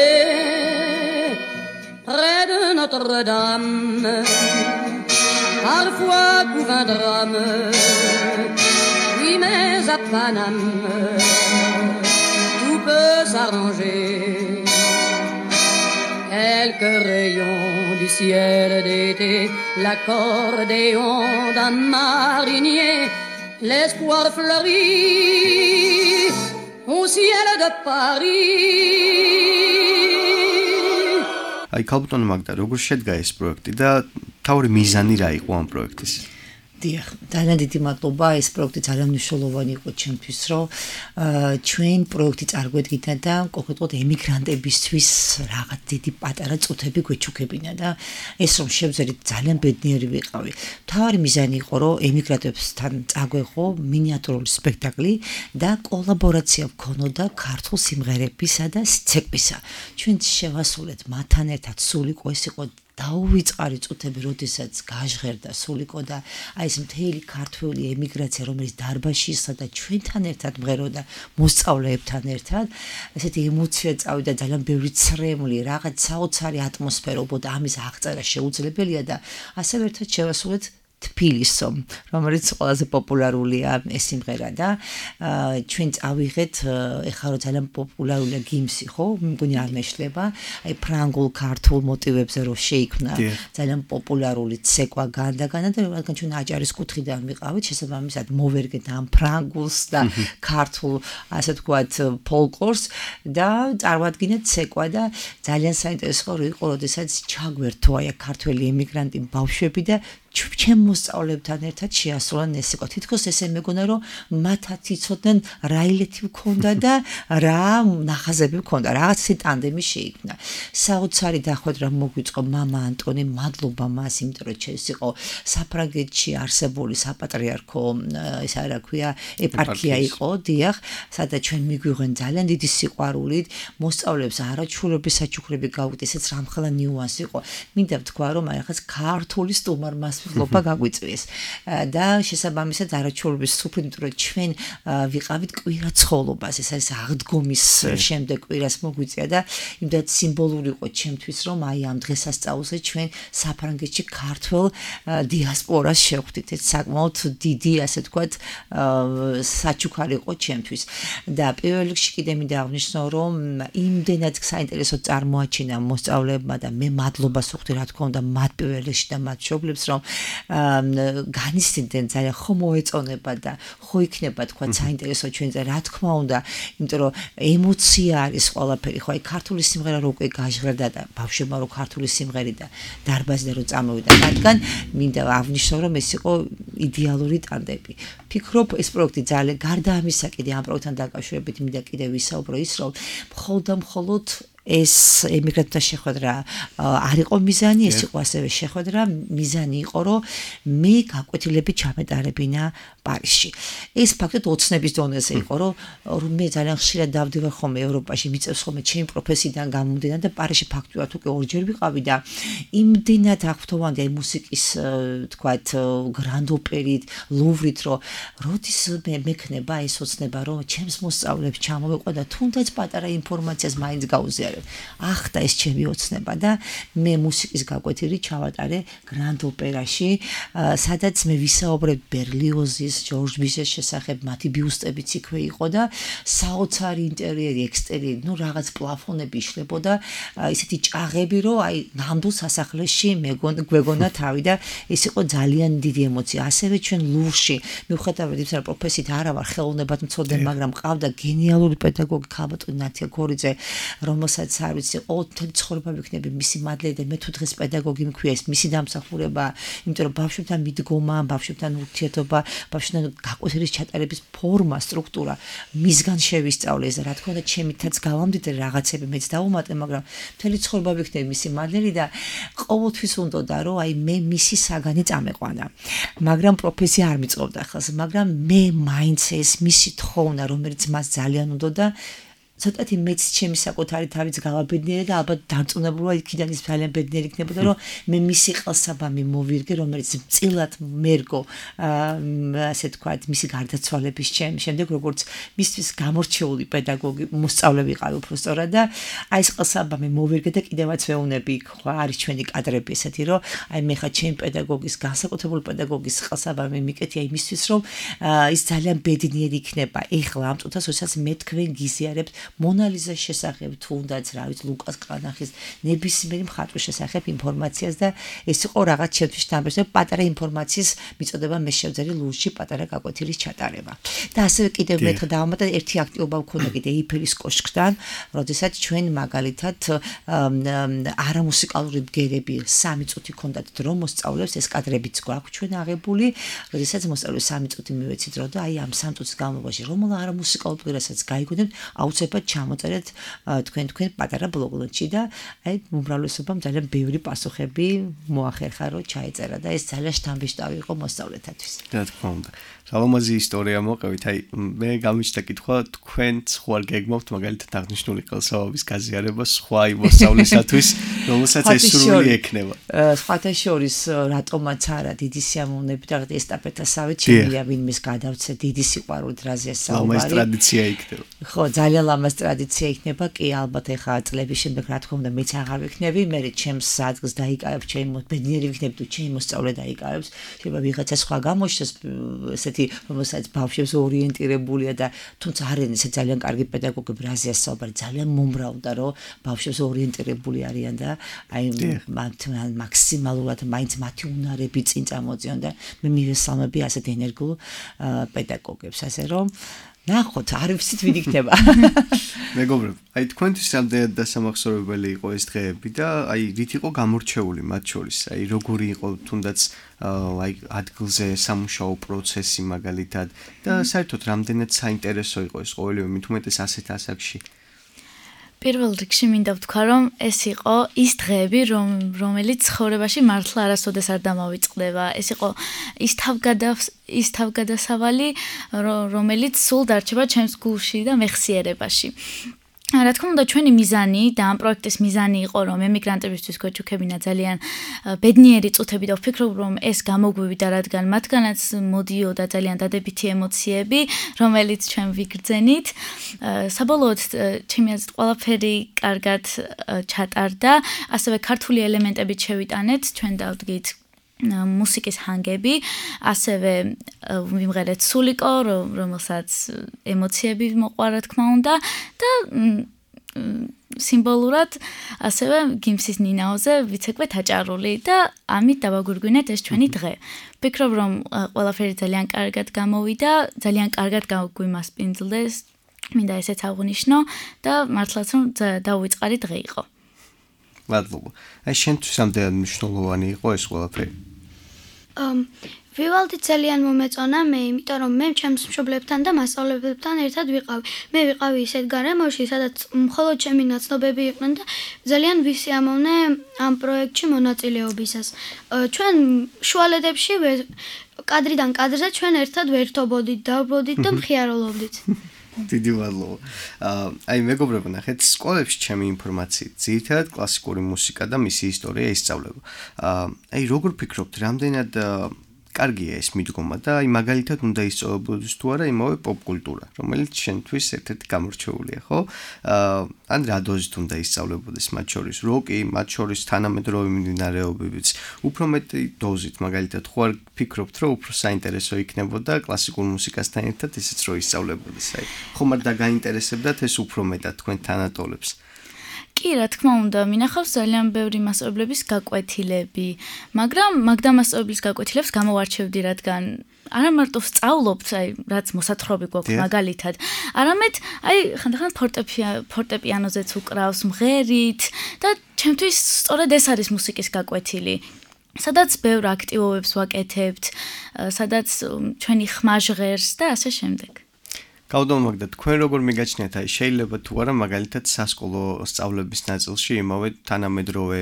près de Notre-Dame, parfois couvre un drame, oui mais à Paname, tout peut s'arranger. Quelques rayons du ciel d'été, l'accordéon d'un marinier, l'espoir fleurit au ciel de Paris. Აი, ქალბატონო მაგდა, როგორ შედგა ეს პროექტი და თავი მიზანი რა იყო ამ პროექტის? დიახ, ძალიან დიდი მადლობა, ეს პროექტი ძალიან მნიშვნელოვანი იყო ჩემთვის, რომ ჩვენ პროექტი წარგვედგინა და კონკრეტულად ემიგრანტებისთვის რაღაც დიდი პატარა წუთები გვეჩუქებინა და ეს რომ შევძერით ძალიან ბედნიერი ვიყავი. მთავარი მიზანი იყო, რომ ემიგრანტებთან წაგვეღო მინიატურული სპექტაკლი და კოლაბორაცია ვქონოდა ქართულ სიმღერებისა და ცეკვისა. ჩვენ შევასრულეთ მათთან ერთად სულიკო, ეს იყო დაუვიწყარი წუთები, როდესაც გაჟღერდა სულიკო და აი ეს მთელი ქართველი ემიგრაცია, რომელიც დარბაზში ისხდა და ჩვენთან ერთად მღეროდა მოსწავლეებთან ერთად, ესეთი ემოცია წავიდა, ძალიან ბევრი ცრემლი, რაღაც საოცარი ატმოსფერო, οπότε ამის აღწერა შეუძლებელია და ასევე ერთად შევასრულეთ თბილისო, რომელიც ყველაზე პოპულარულია ეს სიმღერა და ჩვენ წავიღეთ, ეხლა რომ ძალიან პოპულარულია გიმსი, ხო? მგონი არ მეშლება, აი ფრანგულ ქართულ მოტივებზე რო შეიქმნა ძალიან პოპულარული ცეკვა განდაგანა და რადგან ჩვენ აჭარის კუთხიდან ვიყავით, შესაბამისად მოვერგეთ ამ ფრანგულს და ქართულ, ასე ვთქვათ, ფოლკლორს და წარმოადგინეთ ცეკვა და ძალიან საინტერესო იყო, როდესაც ჩაგვერთო აი ქართველი ემიგრანტი ბავშვები და ჩემ მოსწავლეებთან ერთად შეასრულან ეს სიტყვა. თითქოს ესე მეგონა რომ მათაც იცოდნენ რა ილეთი მქონდა და რა ნახაზები მქონდა, რაღაც ტანდემი შეიქმნა. საოცარი დახვედრა მოგვიწყო მამა ანტონი, მადლობა მას, იმიტომ რომ ეს იყო საფრანგეთში არსებული საპატრიარქო ისა რა ქვია ეპარქია იყო, დიახ, სადაც ჩვენ მიგვიღვენ ძალიან დიდი სიყვარულით, მოსწავლეებს არაჩვეულებრივი საჩუქრები გავუგდეთ, ესეც რამხელა ნიუანსი იყო. მინდა ვთქვა რომ აი ახაც ქართული სტუმარმასპინძლობა გაგვიწვიეს და შესაბამისად არაჩვეულებრივი სუფრით, იმიტომ რომ ჩვენ ვიყავით კვირაცხოვლობას, ეს არის აღდგომის შემდეგ კვირას მოგვიწია და იმდაც სიმბოლური იყო ჩემთვის რომ აი ამ დღესასწაულზე ჩვენ საფრანგეთში ქართველ დიასპორას შევხვდით. ეს საკმაოდ დიდი ასე ვთქვათ საჩუქარი იყო ჩემთვის და პირველ რიგში კიდე მინდა აღნიშნო რომ იმდენად საინტერესო წარმოაჩინა მოსწავლეებმა და მე მადლობას ვუხდი რა თქმა უნდა მათ პირველ რიგში და მათ მშობლებს რომ განისცემდნენ ძალიან ხო მოეწონება და ხო იქნება თქვა საინტერესო ჩვენზე რა თქმა უნდა, იმიტომ რომ ემოცია არის ყველაფერი. ხო აი ქართული სიმღერა რო უკვე გაჟღერდა და ბავშვებმა რო ქართული სიმღერი და დარბაზიდან რო წამოვიდა რადგან მინდა აღნიშნო რომ ეს იყო იდეალური ტანდემი. ფიქრობ ეს პროექტი ძალიან გარდა ამისა კიდე ამ პროექტთან დაკავშირებით მინდა კიდე ვისაუბრო ის რომ მხოლოდ ეს ემიგრანტთა შეხვედრა არ იყო მიზანი, ეს იყო ასევე შეხვედრა, მიზანი იყო რომ მე გაკვეთილები ჩამეტარებინა პარიზში. ეს ფაქტობრივად ოცნების დონეზე იყო, რომ მე ძალიან ხშირად დავდივარ ხოლმე ევროპაში, მიწევს ხოლმე ჩემი პროფესიიდან გამომდინარე და პარიზში ფაქტობრივად უკვე ორჯერ ვიყავი და იმდენად აღფრთოვანდი აი მუსიკის თქვათ გრანდ ოპერით, ლუვრით, რომ როდის მექნება ეს ოცნება, რომ ჩემს მოსწავლეებს ჩამოვეყვა და თუნდაც პატარა ინფორმაციას მაინც გაუზიარებ. ახდა ეს ჩემი ოცნება და მე მუსიკის გაკვეთილი ჩავატარე გრანდ ოპერაში, სადაც მე ვისაუბრებ ბერლიოზის, ჯორჯ ბიზეს შესახებ, მათი ბიუსტებიც იქვე იყო და საოცარი ინტერიერი, ექსტერიერი, ნუ რაღაც პლაფონები იშლებოდა, ისეთი ჭაღები, რომ აი ნამდვილ სასახლეში გვეგონა თავი და ეს იყო ძალიან დიდი ემოცია. ასევე ჩვენ ლუვრში, მიუხედავად იმისა, რომ პროფესიით არა ვარ ხელოვნებად მცოდნე, მაგრამ ყავდა გენიალური პედაგოგი ქალბატონი ნათია გორიძე, რომელსაც არ ვიცი, მთელი ცხოვრება ვიქნები მისი მადლი და მე თუ დღეს პედაგოგი მქვია ეს მისი დამსახურება, იმიტომ რომ ბავშვებთან მიდგომა, ბავშვებთან ურთიერთობა, ბავშვებთან გაკვეთილის ჩატარების ფორმა, სტრუქტურა მისგან შევისწავლე ეს რა თქმა უნდა ჩემითაც გავამდიდრე რაღაცები მეც დავუმატე, მაგრამ მთელი ცხოვრება ვიქნები მისი მადლი და ყოველთვის უნდოდა რომ აი მე მისი საგანი წამეყვანა. მაგრამ პროფესია არ მიწყობდა ხელს, მაგრამ მე მაინც ეს მისი თხოვნა, რომელიც მას ძალიან უნდოდა ცოტათი მეც ჩემი საკუთარი თავიც გავაბედნიერე და ალბათ დარწმუნებულვარ იქიდან ის ძალიან ბედნიერი იქნებოდა რომ მე მისი ყელსაბამი მოვირგე რომელიც წილად მერგო ასე თქვათ მისი გარდაცვალების შემდეგ როგორც მისთვის გამორჩეული პედაგოგი მოსწავლე ვიყავი უბრალოდ და აი ეს ყელსაბამი მოვირგე და კიდევაც ვეუნები ხო არის ჩვენი კადრები ესეთი რომ აი მე ხა ჩემი პედაგოგის განსაკუთრებული პედაგოგის ყელსაბამი მიკეთია იმისთვის რომ ის ძალიან ბედნიერი იქნება ეხლა ამ წუთას როდესაც მე თქვენ გიზიარებთ მონალიზას შესახებ თუნდაც რა ვიცი ლუკას კრანახის ნებისმიერი მხატვრის შესახებ ინფორმაციას და ეს იყო რაღაც ჩემთვის თამბეზე პატარა ინფორმაციის მიწოდება მე შევძელი ლურში პატარა გაკვეთილის ჩატარება და ასევე კიდევ მეთქ დავამატა ერთი აქტივობა მქონდა კიდე ეიფელის კოშკთან როდესაც ჩვენ მაგალითად არამუსიკალური ბგერები 3 წუთი ქონდათ დრო მოსწავლებს ეს კადრებიც გვაქვს ჩვენ აღებული როდესაც მოსწავლეს 3 წუთი მივეცით დრო და აი ამ 3 წუთის განმავლობაში რომელ არამუსიკალურ ბგერასაც გაიგონებთ აუცილებლად ჩამოწერეთ თქვენ პატარა ბლოგნოტში და აი უმრავლესობამ ძალიან ბევრი პასუხები მოახერხა რომ ჩაეწერა და ეს ძალიან შთამბეჭდავი იყო მოსწავლეთათვის. რა თქმა უნდა. სალომაზი ისტორია მოყევით, აი მე გამიჩნდა კითხვა თქვენ სხვა გეგმობთ მაგალითად აღნიშნული ყელსაბამის გაზიარება სხვა მოსწავლისათვის, რომელსაც ეს სრული ექნება. სხვათა შორის რატომაც არა დიდი სიამოვნებით და ესტაფეტასავით შემიძლია ვინმეს გადავცე დიდი სიყვარულით რაზეა საუბარი. ლამაზ ტრადიცია იქნება. ხო, ძალიან ლამაზ ტრადიცია იქნება, კი ალბათ ეხა წლების შემდეგ რა თქმა უნდა მეც აღარ ვიქნები, მე ჩემს ადგილს დაიკავებ, ჩემი ბედნიერი ვიქნები თუ ჩემი მოსწავლე დაიკავებს, შეიძლება ვიღაცა სხვა გამოჩნდეს ესეთი რომელსაც ბავშვებს ორიენტირებულია და თუმცა არიან ესე ძალიან კარგი პედაგოგები რაზეა საუბარი ძალიან მომრავლდა რომ ბავშვებს ორიენტირებული არიან და აი მაქსიმალურად მაინც მათი უნარები წინ წამოწიონ და მე მივესალმები ასეთ ენერგიულ პედაგოგებს ასე რომ ნახოთ, არ ვიცით ვინ იქნება. მეგობრებო, აი თქვენთვის რამდენად დასამახსოვრებელი იყო ეს დღეები და აი რით იყო გამორჩეული მათ შორის? აი როგორი იყო თუნდაც აი ადგილზე სამუშაო პროცესი მაგალითად და საერთოდ რამდენად საინტერესო იყო ეს ყოველივე მით უმეტეს ასეთ ასაკში? პირველ რიგში მინდა ვთქვა, რომ ეს იყო ის დღეები, რომელიც ცხოვრებაში მართლა არასოდეს არ დამავიწყდება. ეს იყო ის თავგადასავალი, რომელიც სულ დარჩება ჩემს გულში და მეხსიერებაში. რა თქმა უნდა, ჩვენი მიზანი და ამ პროექტის მიზანი იყო, რომ ემიგრანტებისთვის გვეჩუქებინა ძალიან ბედნიერი წუთები და ვფიქრობ, რომ ეს გამოგვივიდა, რადგან მათგანაც მოდიოდა ძალიან დადებითი ემოციები, რომელიც ჩვენ ვიგრძენით. საბოლოოდ, ჩემი აზრით, ყველაფერი კარგად ჩატარდა, ასევე ქართული ელემენტებით შევიტანეთ, ჩვენ დავდგით მუსიკის ჰანგები, ასევე ვიმღერეთ სულიკო, რომელსაც ემოციები მოყვა, რა თქმა უნდა, და სიმბოლურად ასევე გიმსის ნინაოზე ვიცეკვეთ აჭარული და ამით დავაგვირგვინეთ ეს ჩვენი დღე. ვფიქრობ, რომ ყველაფერი ძალიან კარგად გამოვიდა, ძალიან კარგად გვიმასპინძლდეს, მინდა ესეც აღვნიშნო და მართლაც რომ დაუვიწყარი დღე იყო. მადლობა. აი შენთვის რამდენად მნიშვნელოვანი იყო ეს ყველაფერი? ვივალდი ძალიან მომეწონა მე, იმიტომ რომ მე ჩემს მშობლებთან და მასწავლებლებთან ერთად ვიყავი. მე ვიყავი ისეთ გარემოში, სადაც მხოლოდ ჩემი ნაცნობები იყვნენ და ძალიან ვისიამოვნე ამ პროექტში მონაწილეობისას. ჩვენ შუალედებში კადრიდან კადრზე ჩვენ ერთად ვერთობოდით, დავბროდით და მხიარობდით. დიდი მადლობა. აი მეგობრებო, ნახეთ, სკოლებში ჩემი ინფორმაციით ძირითადად კლასიკური მუსიკა და მისი ისტორია ისწავლება. აი როგორ ფიქრობთ, რამდენად კარგია ეს მიდგომა და აი მაგალითად უნდა ისწავლებოდეს თუ არა იმავე პოპკულტურა, რომელიც შენთვის ერთ-ერთი გამორჩეულია, ხო? ან რა დოზით უნდა ისწავლებოდეს მათ შორის როკი, მათ შორის თანამედროვე მიმდინარეობებიც, უფრო მეტი დოზით, მაგალითად, ხო არ ფიქრობთ, რომ უფრო საინტერესო იქნებოდა კლასიკურ მუსიკასთან ერთად ისიც რომ ისწავლებოდეს, აი ხომ არ დაგაინტერესებდათ ეს უფრო მეტად თქვენ თანატოლებს? კი, რა თქმა უნდა, მინახავს ძალიან ბევრი მასწავლებლების გაკვეთილები, მაგრამ მასწავლებლის გაკვეთილებს გამოვარჩევდი, რადგან არა მარტო ვსწავლობთ, აი რაც მოსათხრობი გვაქვს მაგალითად, არამედ აი ხანდახან ფორტეპიანოზეც უკრავს, მღერით და ჩემთვის სწორედ ეს არის მუსიკის გაკვეთილი. სადაც ბევრ აქტივობებს ვაკეთებთ, სადაც ჩვენი ხმა ჟღერს და ასე შემდეგ. გავდომაგდა თქვენ როგორ მიგაჩნიათ აი შეიძლება თუ არა მაგალითად სასკოლო სწავლების ნაწილში იმავე თანამედროვე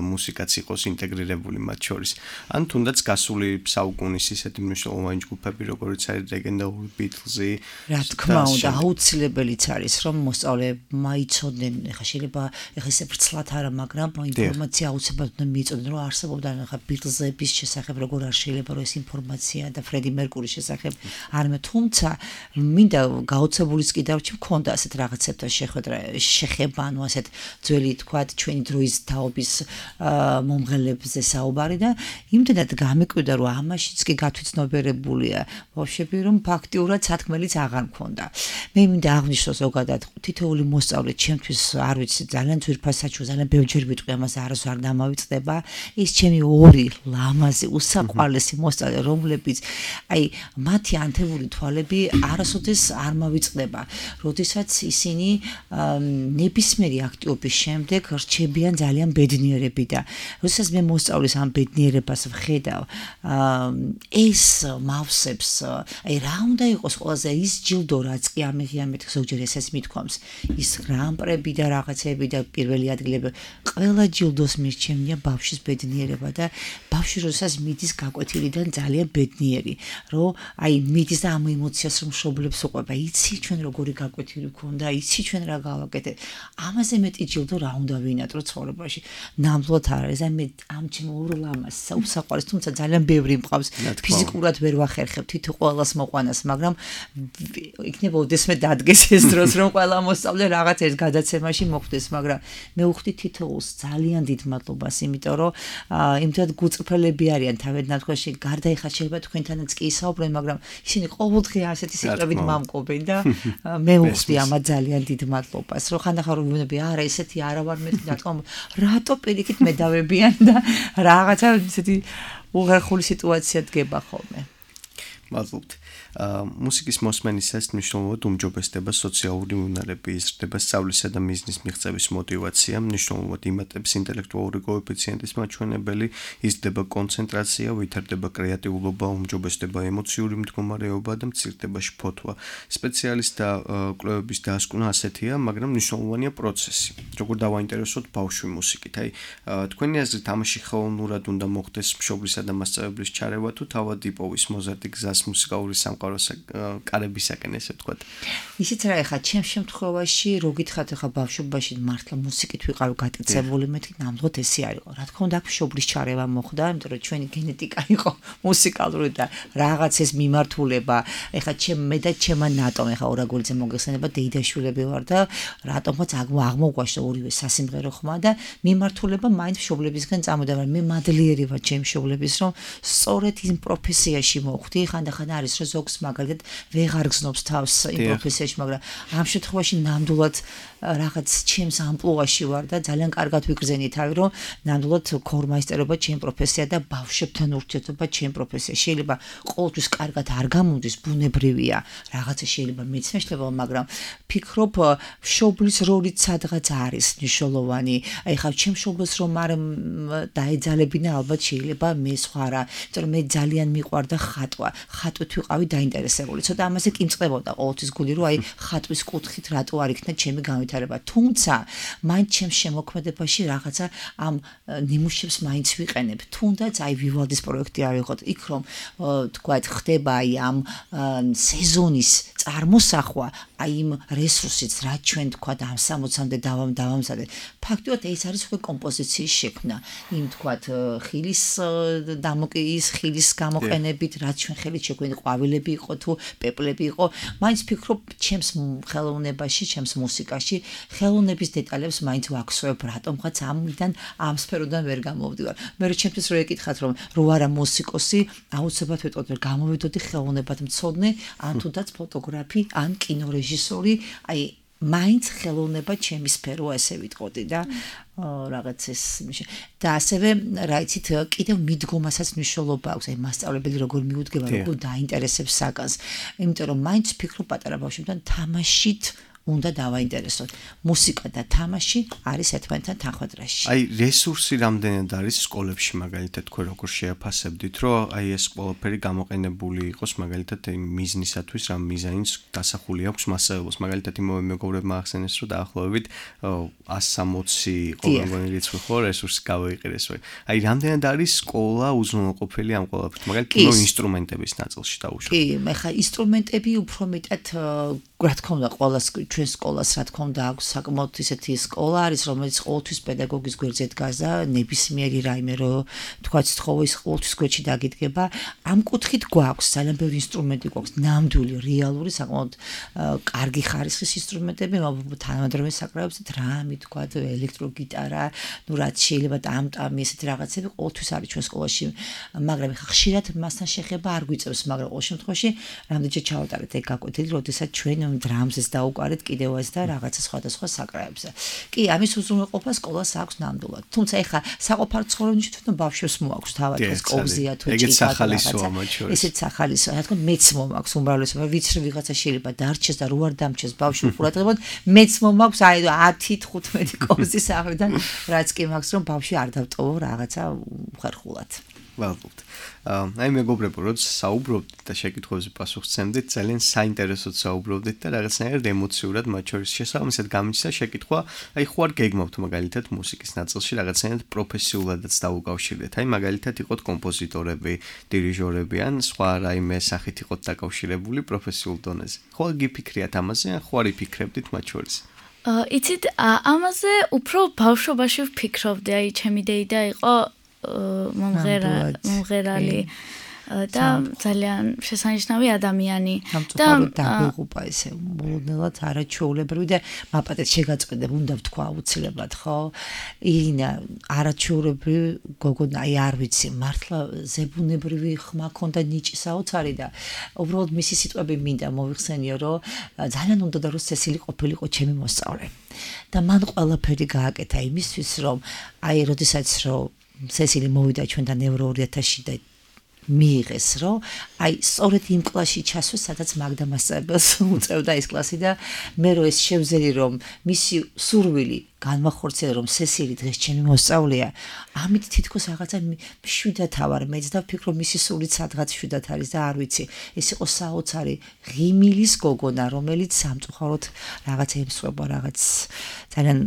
მუსიკაც იყოს ინტეგრირებული მათ შორის ან თუნდაც გასული საუკუნის ისეთი მნიშვნელოვანი ჯგუფები როგორც არის ლეგენდარული ბიტლზი რა თქმა უნდა აუცილებელიც არის რომ მოსწავლეებმა იცოდნენ ეხლა შეიძლება ეხლა ისე ბრცლად არა მაგრამ ინფორმაცია აუცილებლად უნდა მიიწოდნენ რომ არსებობდა ეხლა ბიტლზების შესახებ როგორ არ შეიძლება რომ ეს ინფორმაცია და ფრედი მერკურის შესახებ არმე თუმცა მინდა გაოცებულის კიდევ მქონდა ასეთ რაღაცებთან შეხება, ანუ ასეთ ძველი თქვათ ჩვენი დროის თაობის მომღერლებზე საუბარი და იმდენად გამიკვირდა რომ ამაშიც კი გათვითცნობიერებულია ბავშვები რომ ფაქტიურად სათქმელიც აღარ მქონდა. მე მინდა აღვნიშნო ზოგადად თითოეული მოსწავლე ჩემთვის არ ვიცი ძალიან ძვირფასაჩო ძალიან ბევრჯერ ვიტყვი ამას არასდროს არ დამავიწყდება ის ჩემი ორი ლამაზი უსაყვარლესი მოსწავლე რომლებიც აი მათი ანთებული თვალები არასოდეს არ მოვიწყდება, როდესაც ისინი ნებისმიერი აქტივობის შემდეგ რჩებიან ძალიან ბედნიერები და როდესაც მე მოსწავლის ამ ბედნიერებას ვხედავ, ეს მავსებს, აი რა უნდა იყოს ყველაზე ის ჯილდო რაც კი ამიღიამეთ ზოგჯერ ესეც მithქვამს, ის გრან-პრები და რაღაცები და პირველი ადგილები, ყველა ჯილდოს მირჩენია ბავშვის ბედნიერება და ბავშვი როდესაც მიდის გაკვეთილიდან ძალიან ბედნიერი, რომ აი მიდის და ამ ემოციას რომ მშობლებს უყვება იცი ჩვენ როგორი გაკვეთილი გქონდა, იცი ჩვენ რა გავაკეთეთ. ამაზე მეტი ჯილდო რა უნდა ვინატრო ცხოვრებაში. ნამდვილად არ არის. აი მე ამ ჩემ ორ ლამას საუბსაყვარეს, თუმცა ძალიან ბევრი მყავს. ფიზიკურად ვერ ვახერხებ თითო ყველას მოყვანას, მაგრამ იქნება ოდესმე დადგეს ეს დროს, რომ ყველა მოსწავლე რაღაც ერთ გადაცემაში მოხვდეს, მაგრამ მე ვხვდი თითოეულს ძალიან დიდ მადლობას, იმიტომ რომ იმდენად გუწრფელები არიან თავედან თქვენში, გარდა ეხლა შეიძლება თქვენთანაც კი ისაუბრენ, მაგრამ ისინი ყოველდღე ასეთი სიტყვებით მამკობენ და მე ვხვდი ამათ ძალიან დიდ მადლობას, რომ ხანდახან რომ ვიმნები, არა ესეთი არა ვარ მე რა თქმა უნდა, რატო პირიქით მე დავებიან და რაღაცა ესეთი უღერხული სიტუაცია დგება ხოლმე. მადლობთ. მუსიკის მოსმენისას მნიშვნელოვნად უმჯობესდება სოციალური უნარები, იზრდება სწავლისა და მიზნის მიღწევის მოტივაცია, მნიშვნელოვნად იმატებს ინტელექტუალური კოეფიციენტის მაჩვენებელი, იზრდება კონცენტრაცია, ვითარდება კრეატიულობა, უმჯობესდება ემოციური მდგომარეობა და მცირდება შფოთვა. სპეციალისტთა კვლევების დასკვნა ასეთია, მაგრამ მნიშვნელოვანია პროცესი. როგორ დავაინტერესოთ ბავშვი მუსიკით? აი, თქვენი აზრით თამაში ხელოვნურად უნდა მოხდეს მშობლისა და მასწავლებლის ჩარევა თუ თავად იპოვის მოზარდი გზას მუსიკალური სამყაროს კარებისაკენ, ესე ვთქვათ. ისიც რა ეხა ჩემ შემთხვევაში რო გითხათ ეხა ბავშვობაში მართლა მუსიკით ვიყავ გაკეთებული მეთქი ნამდვილად ესე არ იყო. რა თქმა უნდა მშობლის ჩარევა მოხდა, იმიტომ რომ ჩვენი გენეტიკა იყო მუსიკალური და რაღაც ეს მიმართულება. ეხა მე და ჩემმა ნატომ ეხა ორაგოლიძე მოგეხსენება დეიდაშვილები ვარ და რატომაც აღმოგვაშო ორივე სასიმღერო ხმა და მიმართულება მაინც მშობლებისგან წამოდა, მაგრამ მე მადლიერი ვარ ჩემ მშობლების რომ სწორედ იმ პროფესიაში მოხვდი. ხანდახან არის რომ ზოგს მაგალითად ვეღარ გზნობს თავს იმ პროფესიაში, მაგრამ ამ შემთხვევაში ნამდვილად რაღაც ჩემს ამპლუაში ვარ და ძალიან კარგად ვიგრძენი თავი, რომ ნამდვილად ქორმაისტერობა ჩემ პროფესია და ბავშვებთან ურთიერთობა ჩემ პროფესია. შეიძლება ყოველთვის კარგად არ გამოდის, ბუნებრივია, რაღაცა შეიძლება მეცნიერება, მაგრამ ფიქრობ მშობლის როლიც სადღაც არის მნიშვნელოვანი. აი ხა ჩემ მშობლს რომ არ დაეძალებინა, ალბათ შეიძლება მე სხვა რა, იმიტომ რომ მე ძალიან მიყვარდა ხატვა. ხატვით ვიყავი დაინტერესებული. ცოტა ამაზე კი მწყდებოდა ყოველთვის გული, რომ აი ხატვის კუთხით რატო არ იქნა ჩემი განვითარება. თუმცა მაინც ჩემს შემოქმედებაში რაღაცა ამ ნიმუშებს მაინც ვიყენებ. თუნდაც აი ვივალდის პროექტი არ ვიყოთ, იქ რომ თქვათ ხდება აი ამ სეზონის წარმოსახვა, აი იმ რესურსიც რაც ჩვენ თქვათ ამ 60-მდე დავამზადე. ფაქტობრივად ეს არის უკვე კომპოზიციის შექმნა. იმ თქვათ ხილის დამოკიდის ხილის გამოყენებით, რაც ჩვენ ხელით შექმნილი ყვავილები იყო თუ პეპლები იყო, მაინც ფიქრობ ჩემს ხელოვნებაში, ჩემს მუსიკაში ხელოვნების დეტალებს მაინც ვაქსოვებ, რატომღაც ამიდან ამ სფეროდან ვერ გამოვდივარ. მე ჩემთვის რო ეკითხათ რომ რო არა მუსიკოსი, აუცილებლად ვეტყოდი რომ გამოვიდოდი ხელოვნებად მცოდნე, ან თუნდაც ფოტოგრაფი, ან კინორეჟისორი, აი მაინც ხელოვნება ჩემი სფერო ესე ვიტყოდი და რაღაც ეს და ასევე რა იცით კიდევ მიდგომასაც მნიშვნელობა აქვს, აი მასწავლებელი როგორ მიუდგება, როგორ დაინტერესებს საკანს, იმიტომ რომ მაინც ფიქრობ პატარა ბავშვებთან თამაშით უნდა დავაინტერესოთ. მუსიკა და თამაში არის ერთმანეთთან თანხმდრაში. აი რესურსი რამდენად არის სკოლებში მაგალითად თქვენ როგორ შეაფასებდით, რომ აი ეს ყველაფერი გამოყენებული იყოს მაგალითად იმ მიზნისათვის, რა მიზანიც დასახული აქვს მასწავლებელს. მაგალითად იმავე მეგობრებმა ახსენეს, რომ დაახლოებით 160 ყოველგვარი რიცხვი ხო რესურსი გავაიყენეს. აი რამდენად არის სკოლა უზრუნველყოფილი ამ ყველაფერით, მაგალითად კინო ინსტრუმენტების ნაწილში დაუშვათ. კი, ხა ინსტრუმენტები უფრო მეტად რა თქმა უნდა ყოველას ჩვენ სკოლას რა თქმა უნდა აქვს საკმაოდ ისეთი სკოლა არის რომელიც ყოველთვის პედაგოგის გვერდზე დგას და ნებისმიერი რაიმე რო თქვა სთხოვის ყოველთვის გვერდში დაგიდგება ამ კუთხით გვაქვს ძალიან ბევრი ინსტრუმენტი გვაქვს ნამდვილი რეალური საკმაოდ კარგი ხარისხის ინსტრუმენტები თანამედროვე საკრავებზე დრამი თქვა ელექტროგიტარა ნუ რაც შეიძლება ტამტამი ესეთი რაღაცები ყოველთვის არის ჩვენ სკოლაში მაგრამ ხშირად მასთან შეხება არ გვიწევს მაგრამ ყოველ შემთხვევაში რამდენჯერ ჩავატარეთ ეგ გაკვეთილი როდესაც ჩვენ დრამზეს დაუყარეთ კიდევ ეს და რაღაცა სხვადასხვა საკრავებზე. კი, ამის უზრუნველყოფა სკოლას აქვს ნამდვილად. თუმცა ეხა საყოფარ ცხოვრებაში თვითონ ბავშვებს მოაქვს თავად ეს კოვზია თუ ჭიქა რაღაცა. ესეც სახალისო, რა თქმა უნდა, მეც მომაქვს უმრავლესობა, ვიცი ვიღაცა შეიძლება დარჩეს და რო არ დამჩეს ბავშვი ყურადღებოდ, მეც მომაქვს აი 10-15 კოვზის ახრიდან, რაც კი მაქვს რომ ბავშვი არ დავტოვო რაღაცა ხერხულად. ვალბობთ. აი მეგობრებო, როდის საუბრობდით და შეკითხვებზე პასუხს სცემდით, ძალიან საინტერესოდ საუბრობდით და რაღაცნაირად ემოციურად მათ შორის შესაბამისად გამიჩნდა შეკითხვა, აი ხო არ გეგმავთ მაგალითად მუსიკის ნაწილში რაღაცნაირად პროფესიულადაც დაუკავშირდეთ. აი მაგალითად იყოთ კომპოზიტორები, დირიჟორები ან სხვა რაიმე სახით იყოთ დაკავშირებული პროფესიულ დონეზე. ხო გიფიქრიათ ამაზე, ან ხო არ იფიქრებდით მათ შორის? იცით, ამაზე უფრო ბავშვობაში ვფიქრობდი, აი ჩემი დეიდა იყო მომღერალი და ძალიან შესანიშნავი ადამიანი და დაგიღუპა ესე მოლოდნელად არაჩვეულებრივი და მაპატეთ შეგაწყვეტებ უნდა ვთქვა აუცილებლად ხო ირინა არაჩვეულებრივი გოგონა აი არ ვიცი მართლა ზებუნებრივი ხმა ქონდა ნიჭი საოცარი და უბრალოდ მისი სიტყვები მინდა მოვიხსენიო რომ ძალიან უნდა და რომ სესილი ყოფილიყო ჩემი მოსწავლე და მან ყველაფერი გააკეთა იმისთვის რომ აი როდესაც რომ სესილი მოვიდა ჩვენთან ევრო 2000-ში და მიიღეს, რომ აი სწორედ იმ კლასში ჩასვეს, სადაც მაგდა მასწავლებელს უწევდა ეს კლასი და მე რო ეს შევძელი რომ მისი სურვილი განმახორციელა რომ სესილი დღეს ჩემი მოსწავლეა, ამით თითქოს რაღაცა მშვიდად ავარ მეც და ვფიქრობ მისი სულიც სადღაც მშვიდად არის და არ ვიცი, ეს იყო საოცარი ღიმილის გოგონა, რომელიც სამწუხაროდ რაღაცა ემსხვება, რაღაც ძალიან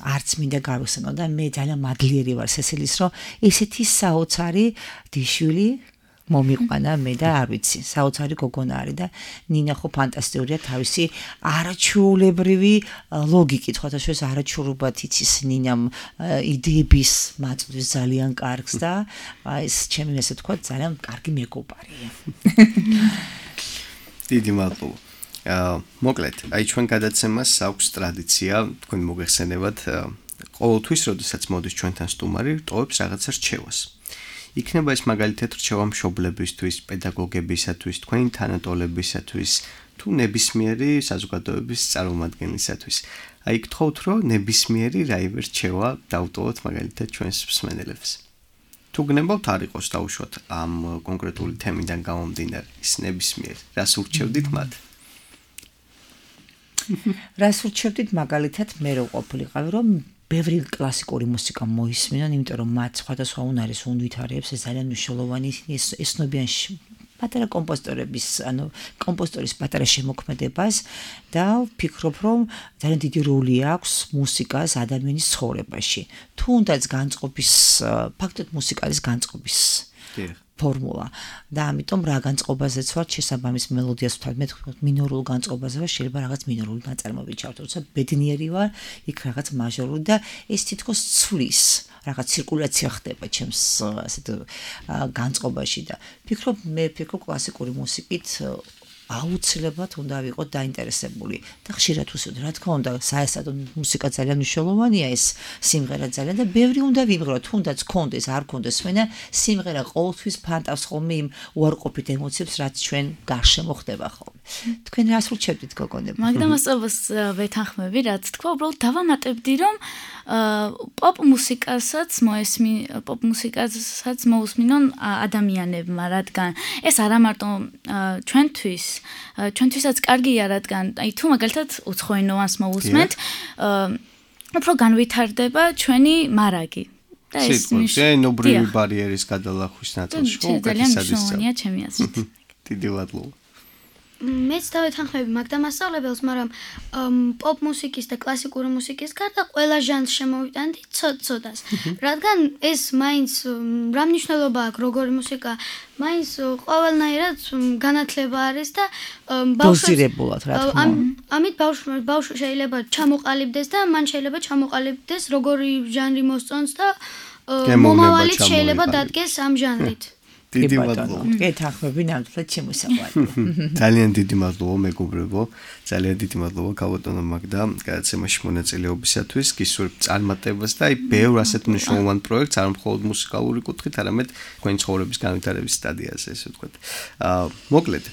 არც მინდა გავიხსენო და მე ძალიან მადლიერი ვარ სესილის, რომ ესეთი საოცარი დიშვილი მომიყვანა მე და არ ვიცი, საოცარი გოგონა არის და ნინა ხო ფანტასტიკურია თავისი არაჩვეულებრივი ლოგიკით, ხოთა შეს არაჩვეულებად იცის ნინამ იდეების მაწვდის ძალიან კარგს და ეს ჩემი ესე თქვა ძალიან კარგი მეგობარია. დიდი მადლობა. მოკლედ, აი ჩვენ გადაცემას აქვს ტრადიცია, თქვენ მოგეხსენებათ, ყოველთვის, როდესაც მოდის ჩვენთან სტუმარი, ტოვებს რაღაცა რჩევას. იქნება ეს მაგალითად რჩევა მშობლებისთვის, პედაგოგებისათვის, თქვენი თანატოლებისათვის, თუ ნებისმიერი საზოგადოების წარმომადგენლისათვის. აი გთხოვთ, რომ ნებისმიერი რაიმე რჩევა დავტოვოთ მაგალითად ჩვენს მსმენელებს. თუ გნებავთ არ იყოს დაუშვათ ამ კონკრეტული თემიდან გამომდინარე, ის ნებისმიერი, რას ურჩევდით მათ? რას ურჩევდით მაგალითად მე რო ყოფილიყავი, რომ ბევრი კლასიკური მუსიკა მოისმინონ, იმიტომ რომ მათ სხვადასხვა უნარის უნვითარებს ეს ძალიან მნიშვნელოვანი ესნობიან პატარა კომპოზიტორების, ანუ კომპოზიტორის პატარა შემოქმედებას და ვფიქრობ, რომ ძალიან დიდი როლი აქვს მუსიკას ადამიანის ცხოვრებაში. თუნდაც განწყობის, ფაქტობრივად მუსიკა არის განწყობის ფორმულა და ამიტომ რა განწყობაზეც ვარ შესაბამის მელოდიას ვთავაზობ, მე თქვით მინორულ განწყობაზე ვარ, შეიძლება რაღაც მინორული ნაწარმოები ჩავთვალო, როცა ბედნიერი ვარ, იქ რაღაც მაჟორული და ეს თითქოს ცვლის, რაღაც ცირკულაცია ხდება ჩემს ასეთ განწყობაში და ვფიქრობ კლასიკური მუსიკით აუცილებლად უნდა ვიყოთ დაინტერესებული და ხშირად ვუსვით, რა თქმა უნდა, საესადო მუსიკა ძალიან მნიშვნელოვანია, ეს სიმღერა ძალიან და ბევრი უნდა ვიმღეროთ, თუნდაც კონდეს, არ კონდეს, მენა სიმღერა ყოველთვის ფანტავს ხოლმე იმ უარყოფით ემოციებს, რაც ჩვენ გარშემო ხდება ხოლმე. თქვენ რას ურჩევდით გოგონებო? მაგდა მასწავლებს ვეთანხმები, რაც თქვა, უბრალოდ დავამატებდი, რომ პოპ მუსიკასაც მოусმინონ ადამიანებმა, რადგან ეს არა მარტო ჩვენთვისაც კარგია, რადგან აი თუ მაგალითად უცხოენოვანს მოусმენთ, უფრო განვითარდება ჩვენი მარაგი. და ეს ენობრივი ბარიერის გადალახვის ნაწილში ხო უკეთესად ძალიან მნიშვნელოვანია ჩემი აზრით. დიდი მადლობა. მეც დავეთანხმები მაგდა მასწავლებელს, მაგრამ პოპ მუსიკის და კლასიკური მუსიკის გარდა ყველა ჟანრს შემოვიტანდი ცოტ-ცოტას. რადგან ეს მაინც რა მნიშვნელობა აქვს როგორი მუსიკა, მაინც ყველანაირად განათლება არის და დოზირებულად რა თქმა უნდა. ამით ბავშვი შეიძლება ჩამოყალიბდეს და მან შეიძლება ჩამოყალიბდეს როგორი ჟანრი მოსწონს და მომავალით შეიძლება დადგეს ამ ჟანრით. დიდი მადლობა. გეთანხმები ნამდვილად შემოსაყვანო. ძალიან დიდი მადლობა მეგობრებო. ძალიან დიდი მადლობა ქალბატონო მაგდა გადაცემაში მონაწილეობისათვის, გისურვებ წარმატებას და აი ბევრ ასეთ მნიშვნელოვან პროექტს არ მხოლოდ მუსიკალური კუთხით, არამედ თქვენი ცხოვრების განვითარების სტადიაზე, ესე ვთქვათ. მოკლედ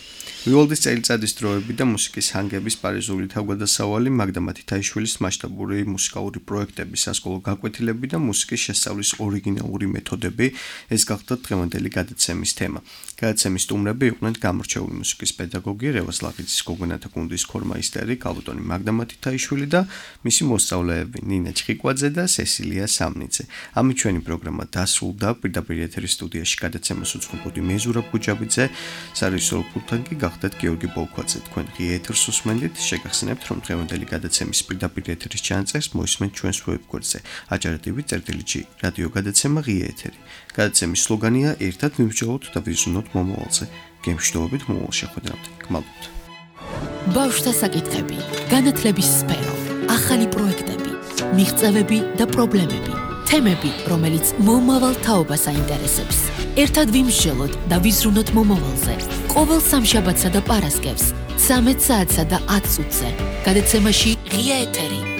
ვიოლდის წელიწადის დროები და მუსიკის ჰანგების პარიზული თავგადასავალი მაგდა მათითაიშვილის მასშტაბური მუსიკალური პროექტები, სასკოლო გაკვეთილები და მუსიკის შესწავლის ორიგინალური მეთოდები ეს გახდა დღევანდელი გადაცემის თემა. გადაცემის სტუმრები იყვნენ გამორჩეული მუსიკის პედაგოგი რევაზ ლაღიძის გოგონათა გუნდის ქორმაისტერი ქალბატონი მაგდა მათითაიშვილი და მისი მოსწავლეები ნინა ჩხიკვაძე და სესილია სამნიძე. ამით ჩვენი პროგრამა დასრულდა. პირდაპირ ეთერის სტუდიაში გადაცემას უძღვებოდი მე ზურაბ გუჯაბიძე, სარეჟისორო პულტში გახდათ გიორგი ბოლქვაძე. თქვენ ღია ეთერს უსმენთ, შეგახსენებთ, რომ დღევანდელი გადაცემის პირდაპირ ეთერის ჩანაწერს მოისმენთ ჩვენს ვებგვერდზე. აჯარდებით წერტილი-G რადიო გადაცემა ღია ეთერი. გადაცემის სლოგანია ერთად მივსჯელოთ და ვიზრუნოთ მომავალზე. გემშვიდობით მომავალ შეხვედრამდე. გმადლობთ. ბავშვთა საკითხები, განათლების სფერო, ახალი პროექტები, მიღწევები და პრობლემები, თემები, რომელიც მომავალ თაობას აინტერესებს. ერთად ვიმსჯელოთ და ვიზრუნოთ მომავალზე. ყოველ სამშაბათსა და პარასკევს 13 საათსა და 10 წუთზე. გადაცემაში ღია ეთერი.